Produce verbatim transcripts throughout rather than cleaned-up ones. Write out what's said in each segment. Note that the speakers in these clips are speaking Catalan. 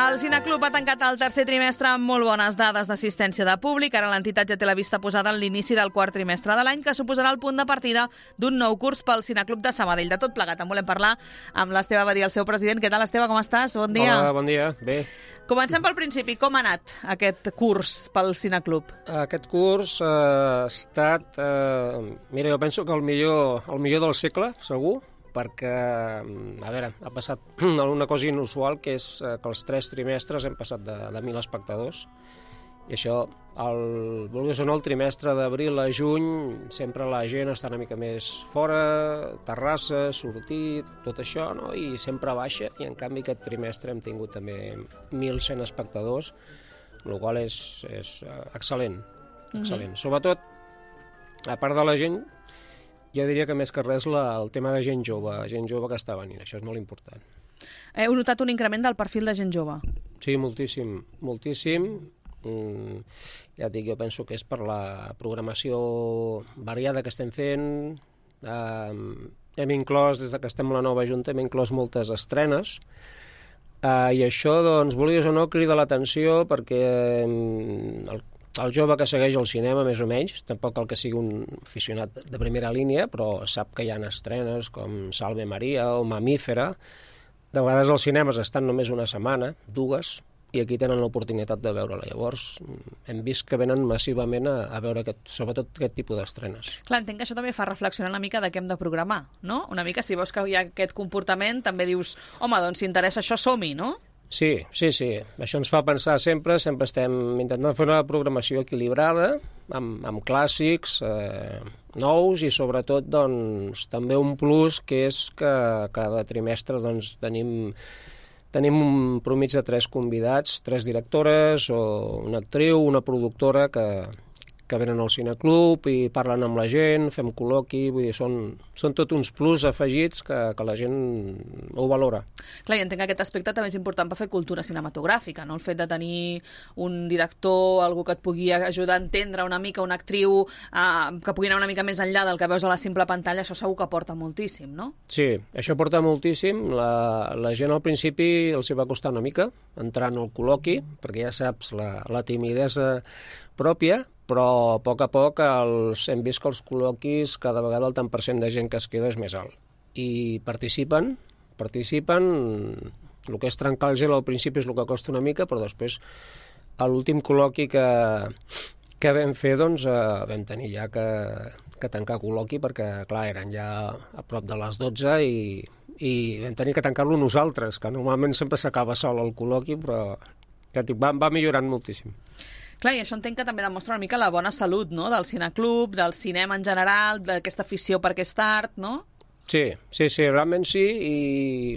El Cineclub ha tancat el tercer trimestre amb molt bones dades d'assistència de públic. Ara l'entitat ja té la vista posada en l'inici del quart trimestre de l'any, que suposarà el punt de partida d'un nou curs pel Cineclub de Sabadell. De tot plegat, en volem parlar amb l'Esteve Badia, el seu president. Què tal, Esteve, com estàs? Bon dia. Hola, bon dia. Bé. Comencem pel principi. Com ha anat aquest curs pel Cineclub? Aquest curs eh, ha estat... Eh, mira, jo penso que el millor, el millor del segle, segur, perquè, a veure, ha passat una cosa inusual, que és que els tres trimestres hem passat de, de mil espectadors, i això, el, vulguis o no, el trimestre d'abril a juny, sempre la gent està una mica més fora, terrassa, sortit, tot això, no? I sempre baixa, i en canvi aquest trimestre hem tingut també mil cent espectadors, el qual és, és excel·lent, excel·lent. Mm-hmm. Sobretot, a part de la gent, jo diria que més que res la, el tema de gent jove, gent jove que està venint, això és molt important. Heu notat un increment del perfil de gent jove? Sí, moltíssim, moltíssim. Mm, ja et dic, jo penso que és per la programació variada que estem fent. Um, hem inclòs, des que estem a la nova Junta, hem inclòs moltes estrenes, uh, i això, doncs, vulguis o no, crida l'atenció perquè um, el El jove que segueix el cinema, més o menys, tampoc cal que sigui un aficionat de primera línia, però sap que hi ha estrenes com Salve Maria o Mamífera. De vegades els cinemes estan només una setmana, dues, i aquí tenen l'oportunitat de veure-la. Llavors, hem vist que venen massivament a, a veure aquest, sobretot aquest tipus d'estrenes. Clar, entenc que això també fa reflexionar una mica de què hem de programar, no? Una mica, si veus que hi ha aquest comportament, també dius, home, doncs si interessa això, som-hi, no? Sí, sí, sí. Això ens fa pensar sempre, sempre estem intentant fer una programació equilibrada, amb, amb clàssics eh, nous i sobretot doncs, també un plus que és que cada trimestre doncs, tenim, tenim un promig de tres convidats, tres directores o una actriu, una productora que, que venen al Cineclub i parlen amb la gent, fem col·loqui, vull dir, són, són tot uns plus afegits que, que la gent ho valora. Clar, i entenc que aquest aspecte també és important per fer cultura cinematogràfica, no? El fet de tenir un director, algú que et pugui ajudar a entendre una mica, una actriu, eh, que pugui anar una mica més enllà del que veus a la simple pantalla, això segur que porta moltíssim, no? Sí, això porta moltíssim. La, la gent al principi els hi va costar una mica entrar en el col·loqui, perquè ja saps, la, la timidesa pròpia, però a poc a poc els, hem vist que els col·loquis cada vegada el tant per cent de gent que es queda és més alt. I participen, participen, el que és trencar el gel al principi és el que costa una mica, però després a l'últim col·loqui que, que vam fer, doncs eh, vam tenir ja que, que tancar col·loqui perquè, clar, eren ja a prop de les dotze i, i vam tenir que tancar-lo nosaltres, que normalment sempre s'acaba sol el col·loqui, però ja dic, va, va millorant moltíssim. Clar, i això entenc que també demostra una mica la bona salut, no?, del cineclub, del cinema en general, d'aquesta afició per aquest art, no? Sí, sí, sí, realment sí, i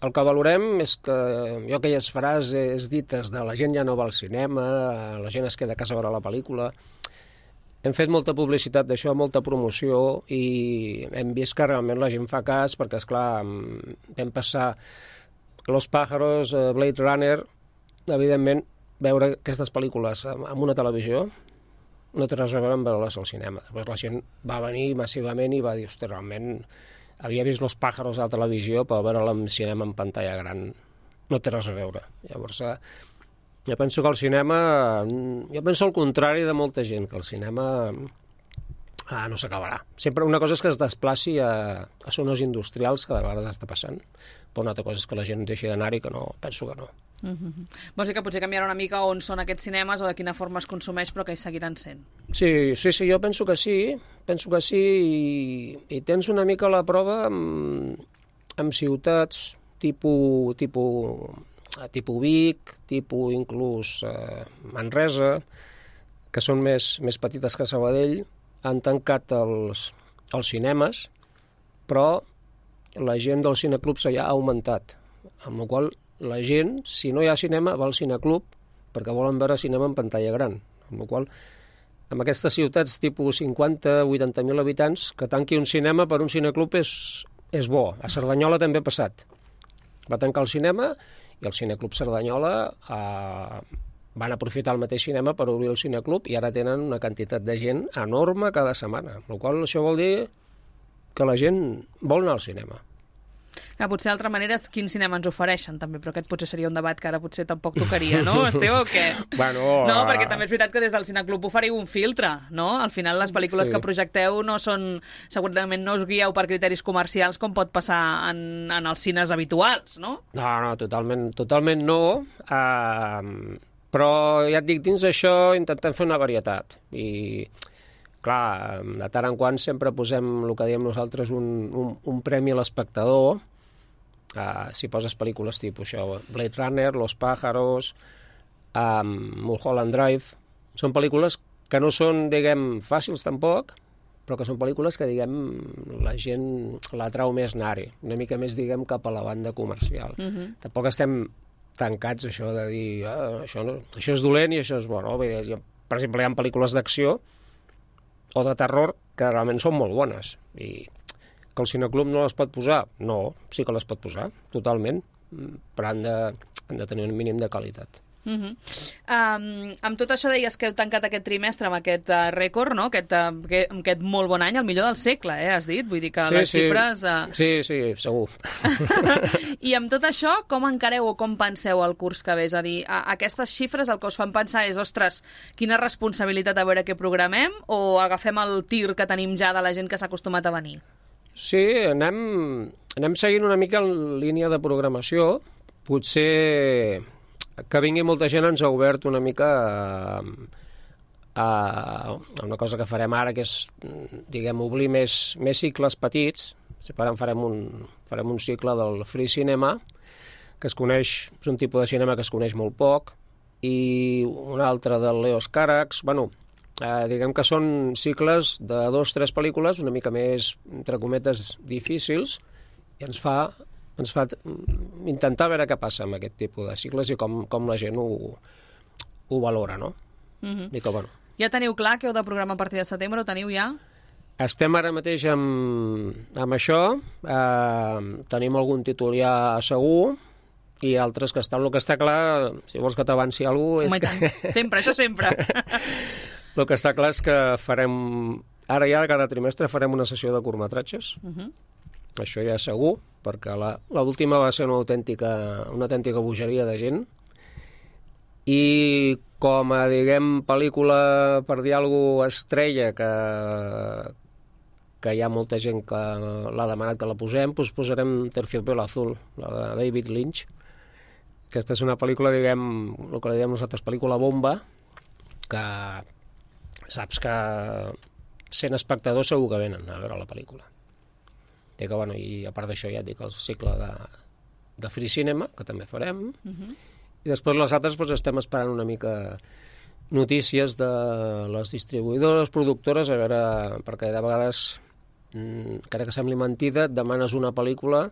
el que valorem és que jo aquelles frases dites de la gent ja no va al cinema, la gent es queda a casa a veure la pel·lícula, hem fet molta publicitat d'això, molta promoció, i hem vist que realment la gent fa cas, perquè, esclar, vam passar Los Pájaros, Blade Runner, evidentment, veure aquestes pel·lícules en una televisió no té res a veure amb veure-les al cinema. Després la gent va venir massivament i va dir, hosti, realment havia vist Los Pájaros a la televisió, però veure-la en cinema en pantalla gran no té res a veure. Llavors, jo penso que el cinema, jo penso el contrari de molta gent, que el cinema ah, no s'acabarà. Sempre una cosa és que es desplaci a, a zones industrials, que de vegades està passant, però una altra cosa és que la gent deixi d'anar-hi, que no, penso que no. Mm-hmm. Vols dir que potser canviarà una mica on són aquests cinemes o de quina forma es consumeix, però que hi seguiran sent? Sí, sí, sí, jo penso que sí, penso que sí, i, i tens una mica la prova amb, amb ciutats tipus, tipus, tipus Vic, tipus inclús eh, Manresa, que són més, més petites que Sabadell, han tancat els, els cinemes, però la gent del cineclub s'ha augmentat, amb la qual la gent, si no hi ha cinema, va al cineclub perquè volen veure cinema en pantalla gran. Amb la qual, en aquestes ciutats tipus cinquanta a vuitanta mil habitants, que tanqui un cinema per un cineclub és, és bo. A Cerdanyola també ha passat. Va tancar el cinema i el cineclub Cerdanyola eh, van aprofitar el mateix cinema per obrir el cineclub i ara tenen una quantitat de gent enorme cada setmana. Amb la qual això vol dir que la gent vol anar al cinema. Que potser d'altra manera és quin cinema ens ofereixen, també, però aquest potser seria un debat que ara potser tampoc tocaria, no, Esteve, o què? Bueno, no, perquè també és veritat que des del Cineclub oferiu un filtre, no? Al final les pel·lícules sí. que projecteu no són, segurament no us guieu per criteris comercials com pot passar en, en els cines habituals, no? No, no, totalment, totalment no, uh, però ja et dic, dins d'això intentem fer una varietat, i clar, de tant en quant sempre posem el que diem nosaltres un, un, un premi a l'espectador. Uh, si poses pel·lícules tipus això, Blade Runner, Los Pájaros, um, Mulholland Drive, són pel·lícules que no són, diguem, fàcils tampoc, però que són pel·lícules que, diguem, la gent l'atrau més anar-hi, una mica més, diguem, cap a la banda comercial. Uh-huh. Tampoc estem tancats, això de dir ah, això, no, això és dolent i això és bo, no? Per exemple, hi ha pel·lícules d'acció o de terror que realment són molt bones, i que el Cineclub no les pot posar, no, sí que les pot posar, totalment, però han de, han de tenir un mínim de qualitat. Uh-huh. um, amb tot això deies que heu tancat aquest trimestre amb aquest uh, rècord, no? aquest, uh, aquest, aquest molt bon any, el millor del segle, eh, has dit? Vull dir que sí, les sí. xifres... Uh... Sí, sí, segur. I amb tot això, com encareu o com penseu el curs que ve? És a dir, a, aquestes xifres el que us fan pensar és, ostres, quina responsabilitat a veure què programem, o agafem el tir que tenim ja de la gent que s'ha acostumat a venir? Sí, anem, anem seguint una mica en línia de programació. Potser que vingui molta gent ens ha obert una mica a, a una cosa que farem ara, que és, diguem, obrir més, més cicles petits. Ara farem un, farem un cicle del Free Cinema, que es coneix, és un tipus de cinema que es coneix molt poc, i un altre del Leos Carax. Bueno, eh, diguem que són cicles de dos o tres pel·lícules una mica més, entre cometes, difícils, i ens fa... ens fa intentar veure què passa amb aquest tipus de cicles i com, com la gent ho, ho valora, no? Uh-huh. I que, bueno. Ja teniu clar que heu de programar a partir de setembre, ho teniu ja? Estem ara mateix amb, amb això, eh, tenim algun títol ja segur i altres que estan. El que està clar, si vols que t'avanci alguna cosa... Home, que... sempre, això sempre. El que està clar és que farem... Ara ja cada trimestre farem una sessió de curtmetratges. Uh-huh. Això ja segur, perquè l'última va ser una autèntica, una autèntica bogeria de gent. I com a, diguem, pel·lícula, per dir alguna cosa, estrella, que, que hi ha molta gent que l'ha demanat que la posem, doncs posarem Terciopelo Azul, la de David Lynch. Aquesta és una pel·lícula, diguem, el que diem nosaltres, pel·lícula bomba, que saps que sent espectadors segur que venen a veure la pel·lícula. I, que, bueno, i a part d'això ja et dic el cicle de, de Free Cinema, que també farem, uh-huh. I després les altres doncs, estem esperant una mica notícies de les distribuïdores, productores, a veure, perquè de vegades, encara que sembli mentida, et demanes una pel·lícula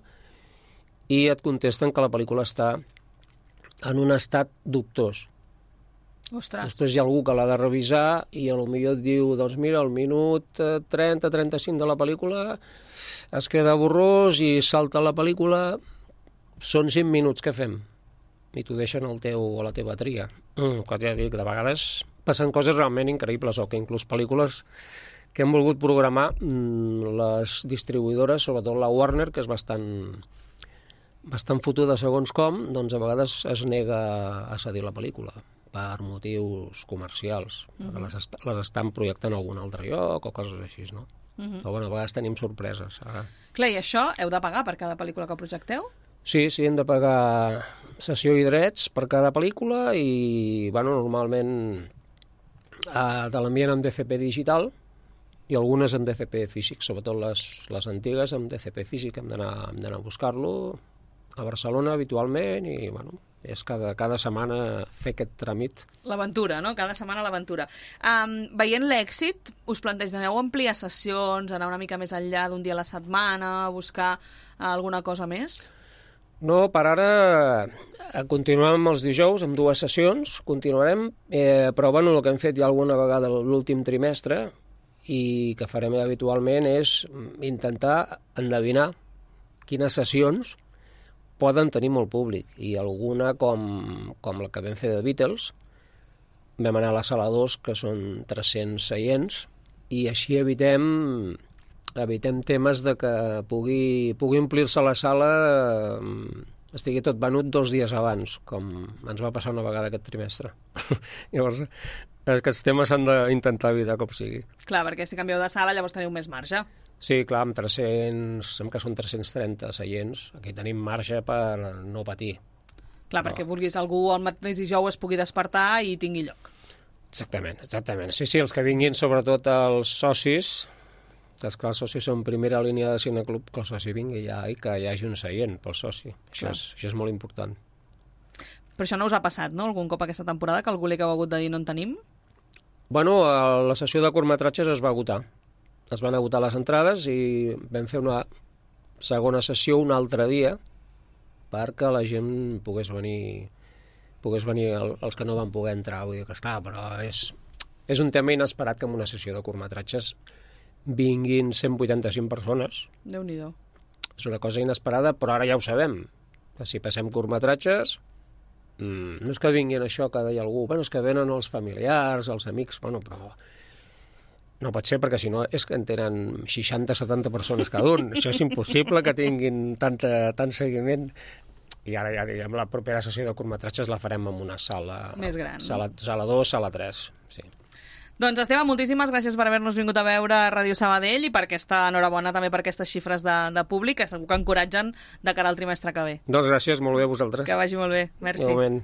i et contesten que la pel·lícula està en un estat dubtós. Ostres. Després hi ha algú que l'ha de revisar i potser et diu, doncs mira, al minut trenta trenta-cinc de la pel·lícula es queda borrós i salta la pel·lícula, són cinc minuts, què fem? I t'ho deixen al teu, a la teva tria. Mm, ja dic, de vegades passen coses realment increïbles, o que inclús pel·lícules que hem volgut programar les distribuïdores, sobretot la Warner, que és bastant, bastant fotuda segons com, doncs a vegades es nega a cedir la pel·lícula per motius comercials. Uh-huh. les, est les estan projectant a algun altre lloc o coses així, no? Uh-huh. Però bueno, a vegades tenim sorpreses. Ara. Clar, i això heu de pagar per cada pel·lícula que projecteu? Sí, sí, hem de pagar sessió i drets per cada pel·lícula i, bueno, normalment eh, te l'envien en D C P digital i algunes en D C P físic, sobretot les, les antigues en D C P físic, hem d'anar a buscar-lo a Barcelona habitualment i, bueno, és cada, cada setmana fer aquest tràmit. L'aventura, no? Cada setmana l'aventura. Um, veient l'èxit, us plantegeu ampliar sessions, anar una mica més enllà d'un dia a la setmana, buscar alguna cosa més? No, per ara continuem els dijous amb dues sessions, continuarem, eh, però bueno, el que hem fet ja alguna vegada l'últim trimestre i que farem habitualment és intentar endevinar quines sessions poden tenir molt públic, i alguna com, com la que vam fer de Beatles, vam anar a la sala dos, que són tres-cents seients, i així evitem evitem temes de que pugui, pugui omplir-se la sala, eh, estigui tot venut dos dies abans, com ens va passar una vegada aquest trimestre. Llavors, aquests temes s'han d'intentar evitar com sigui. Clar, perquè si canvieu de sala llavors teniu més marge. Sí, clar, amb tres-cents, sembla que són tres-cents trenta seients, aquí tenim marge per no patir. Clar, perquè no. Vulguis algú el mateix dijous es pugui despertar i tingui lloc. Exactament, exactament. Sí, sí, els que vinguin, sobretot els socis, que esclar, els socis són primera línia de cineclub, que el soci vingui ja i que hi hagi un seient pel soci. Això és, això és molt important. Però això no us ha passat, no?, algun cop aquesta temporada, que algú li heu hagut de dir no en tenim? Bueno, la sessió de curtmetratges es va agotar. Es van agotar les entrades i vam fer una segona sessió un altre dia perquè la gent pogués venir... pogués venir el, els que no van poder entrar. Vull dir que, esclar, però és, és un tema inesperat que en una sessió de curtmetratges vinguin cent vuitanta-cinc persones. Déu-n'hi-do. És una cosa inesperada, però ara ja ho sabem. Que si passem curtmetratges, mmm, no és que vinguin això que deia algú, bueno, és que venen els familiars, els amics, bueno, però no pot ser, perquè si no és que en tenen seixanta setanta persones cada un. Això és impossible que tinguin tanta, tant seguiment. I ara ja diguem, la propera sessió de curtmetratges la farem en una sala... Més gran. Sala, sala dos, sala tres, sí. Doncs, Esteve, moltíssimes gràcies per haver-nos vingut a veure a Ràdio Sabadell i per aquesta enhorabona també per aquestes xifres de, de públic que segur que encoratgen de cara al trimestre que ve. Doncs gràcies, molt bé a vosaltres. Que vagi molt bé. Merci. Igualment.